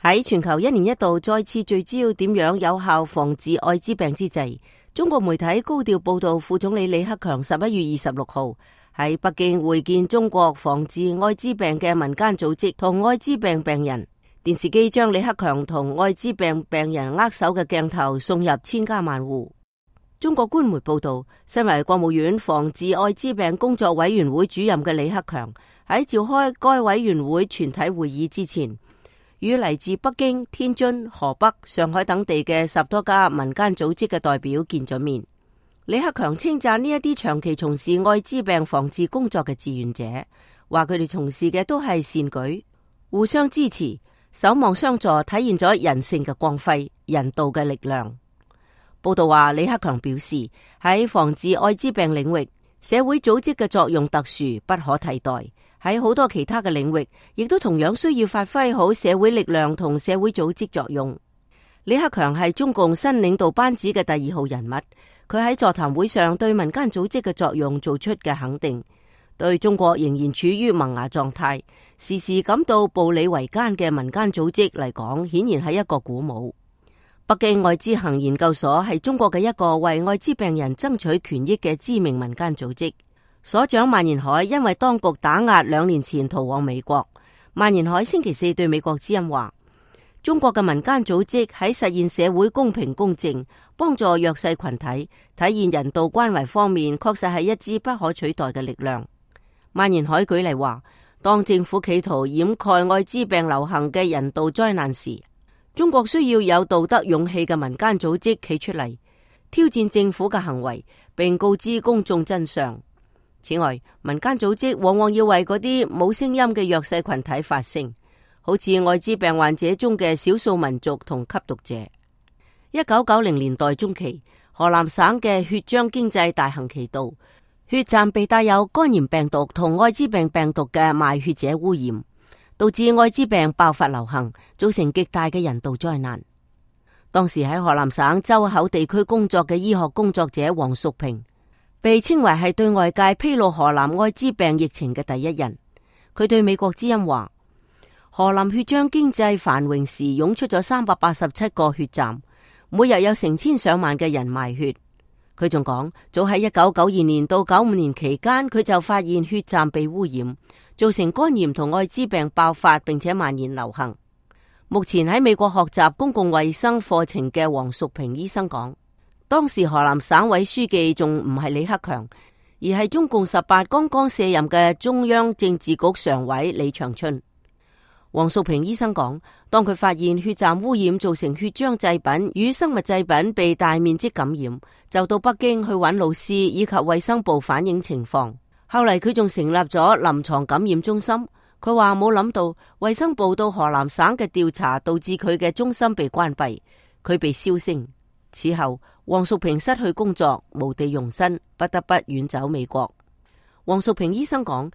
喺全球一年一度再次聚焦點樣有效防治艾滋病之際，中國媒體高調報道副總理李克強11月26號喺北京會見中國防治艾滋病嘅民間組織同艾滋病病人。電視機將李克強同艾滋病病人握手嘅鏡頭送入千家萬戶。中國官媒報道，身為國務院防治艾滋病工作委員會主任嘅李克強喺召開該委員會全體會議之前，與嚟自北京、天津、河北、上海等地嘅10多家民間組織嘅代表見咗面。李克強稱讚呢一啲長期從事艾滋病防治工作嘅志願者，話佢哋從事嘅都係善舉，互相支持，守望相助，體現咗人性嘅光輝、人道嘅力量。報道話，李克強表示喺防治艾滋病領域，社會組織嘅作用特殊，不可替代。喺好多其他嘅領域，亦都同樣需要發揮好社會力量同社會組織作用。李克強係中共新領導班子嘅第2號人物，佢喺座談會上對民間組織嘅作用做出嘅肯定，對中國仍然處於萌芽狀態，時時感到步履維艱嘅民間組織嚟講，顯然係一個鼓舞。北京艾滋行研究所係中國嘅一個為艾滋病人爭取權益嘅知名民間組織。所長萬延海因為當局打壓2年前逃往美國。萬延海星期4對美國之音話，中國嘅民間組織喺實現社會公平公正、幫助弱勢群體、體現人道關懷方面，確實係一支不可取代嘅力量。萬延海舉例話，當政府企圖掩蓋艾滋病流行嘅人道災難時，中國需要有道德勇氣嘅民間組織企出嚟，挑戰政府嘅行為，並告知公眾真相。此外，民間組織往往要為嗰啲冇聲音嘅弱勢群體發聲，好似艾滋病患者中嘅少數民族同吸毒者。1990年代中期，河南省嘅血漿經濟大行其道，血站被帶有肝炎病毒同艾滋病病毒嘅賣血者污染，導致艾滋病爆發流行，造成極大嘅人道災難。當時喺河南省周口地區工作嘅醫學工作者黃淑平，被稱為係對外界披露河南艾滋病疫情嘅第一人。佢對美國之音話，河南血漿經濟繁榮時湧出咗387個血站，每日有成千上萬嘅人賣血。佢仲講，早喺1992年到95年期間，佢就發現血站被污染，造成肝炎同艾滋病爆發，並且蔓延流行。目前喺美國學習公共衛生課程嘅黃淑平醫生講，當時河南省委書記仲唔係李克強，而係中共18剛剛卸任嘅中央政治局常委李長春。黃淑平醫生講，當佢發現血站污染造成血漿製品與生物製品被大面積感染，就到北京去揾老師以及衛生部反映情況。後嚟佢仲成立咗臨床感染中心。佢話冇諗到衛生部到河南省嘅調查導致佢嘅中心被關閉，佢被銷聲。此後黃淑平失去工作，無地容身，不得不遠走美國。黃淑平醫生講，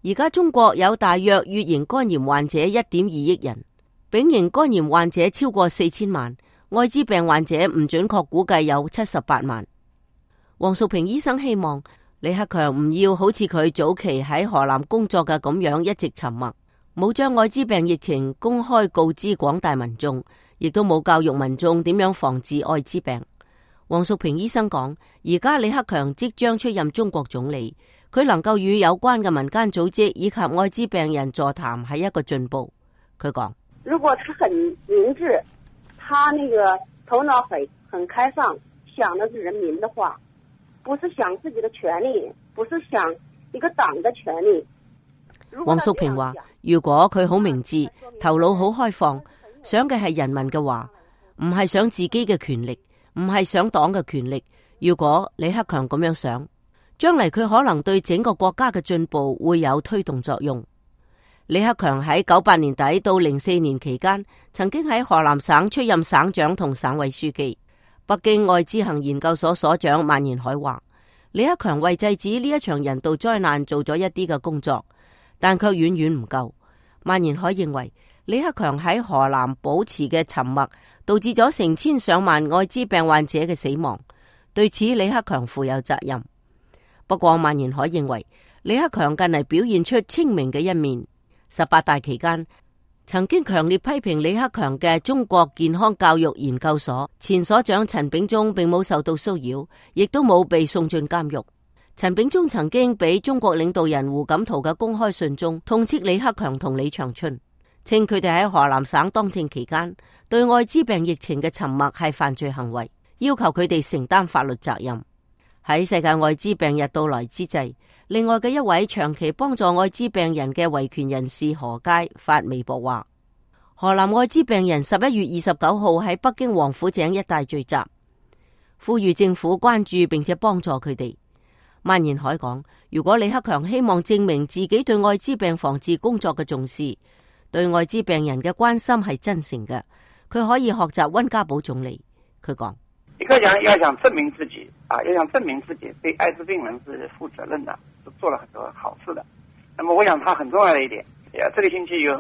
而家中國有大約乙型肝炎患者1.2億人，丙型肝炎患者超過4000萬，艾滋病患者唔準確估計有78萬。黃淑平醫生希望李克強唔要好似佢早期喺河南工作嘅咁樣一直沉默，冇將艾滋病疫情公開告知廣大民眾，亦都冇教育民眾點樣防治艾滋病。黃淑平醫生講，而家李克強即將出任中國總理，佢能夠與有關嘅民間組織以及艾滋病人座談係一個進步。佢講，如果他很明智，他那個頭腦很開放，想的是人民的話，不是想自己的權利，不是想一個黨的權利。黃淑平話，如果佢好明智，頭腦好開放，想嘅係人民嘅話，唔係想自己嘅權力，唔係想黨嘅權力。如果李克強咁樣想，將嚟佢可能對整個國家嘅進步會有推動作用。李克強喺98年底到04年期間，曾經喺河南省出任省長同省委書記。北京艾滋行研究所所長萬延海話，李克強為制止呢一場人道災難做咗一啲嘅工作，但卻遠遠唔夠。萬延海認為，李克強喺河南保持嘅沉默，導致咗成千上萬艾滋病患者嘅死亡，對此李克強負有責任。不過萬延海認為，李克強近嚟表現出清明嘅一面。18大期間，曾經強烈批評李克強嘅中國健康教育研究所前所長陳炳忠並冇受到騷擾，亦都冇被送進監獄。陳炳忠曾經俾中國領導人胡錦濤嘅公開信中痛斥李克強同李長春，稱佢哋喺河南省當政期間對艾滋病疫情嘅沉默係犯罪行為，要求佢哋承擔法律責任。喺世界艾滋病日到來之際，另外嘅一位長期幫助艾滋病人嘅維權人士何佳發微博話，河南艾滋病人11月29號喺北京王府井一帶聚集，呼籲政府關注並且幫助佢哋。蔓延海講，如果李克強希望證明自己對艾滋病防治工作嘅重視，對艾滋病人嘅關心係真誠嘅，佢可以學習溫家寶總理。佢講，李克強要想證明自己要想證明自己對艾滋病人是負責任的，是做了很多好事的。那麼我想他很重要的一點，這個星期有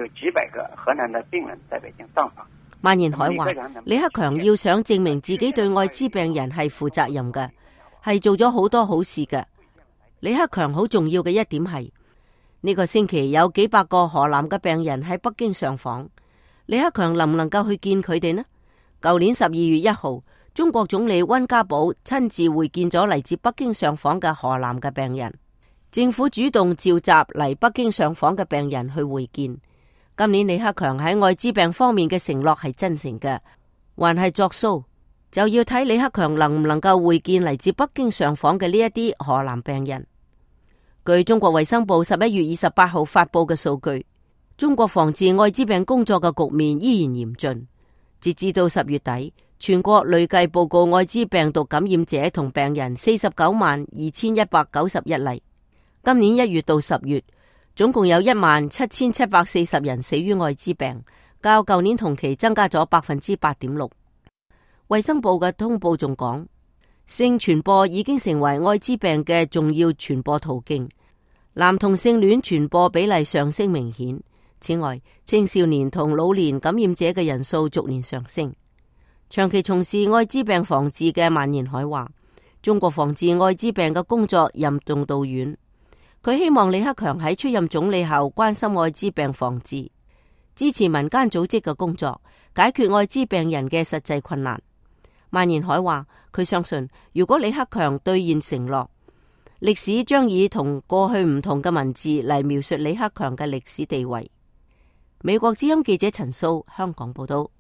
幾百個河南的病人在北京上訪。蔓延海話，李克強要想證明自己對艾滋病人係負責任嘅，係做咗好多好事嘅。李克強好重要嘅一點係，呢個星期有幾百個河南嘅病人喺北京上訪，李克強能唔能夠去見佢哋呢？舊年12月1號，中國總理溫家寶親自會見咗嚟自北京上訪嘅河南嘅病人，政府主動召集嚟北京上訪嘅病人去會見。今年李克強喺艾滋病方面嘅承諾係真誠嘅，還係作騷，就要睇李克強能唔能夠會見嚟自北京上訪嘅呢一啲河南病人。據中國衛生部11月28號發佈嘅數據，中國防治艾滋病工作嘅局面依然嚴峻。截至到10月底，全國累計報告艾滋病毒感染者同病人492191例。今年1月到10月，總共有17740人死於艾滋病，較舊年同期增加咗 8.6%。衛生部嘅通報仲講，性傳播已經成為艾滋病嘅重要傳播途徑，男同性戀傳播比例上升明顯。此外，青少年同老年感染者嘅人數逐年上升。長期從事艾滋病防治嘅蔓延海話，中國防治艾滋病嘅工作任重道遠。佢希望李克強喺出任總理後關心艾滋病防治，支持民間組織嘅工作，解決艾滋病人嘅實際困難。蔓延海話，佢相信如果李克強兌現承諾，歷史將以同過去唔同嘅文字嚟描述李克強嘅歷史地位。美國之音記者陳素香港報道。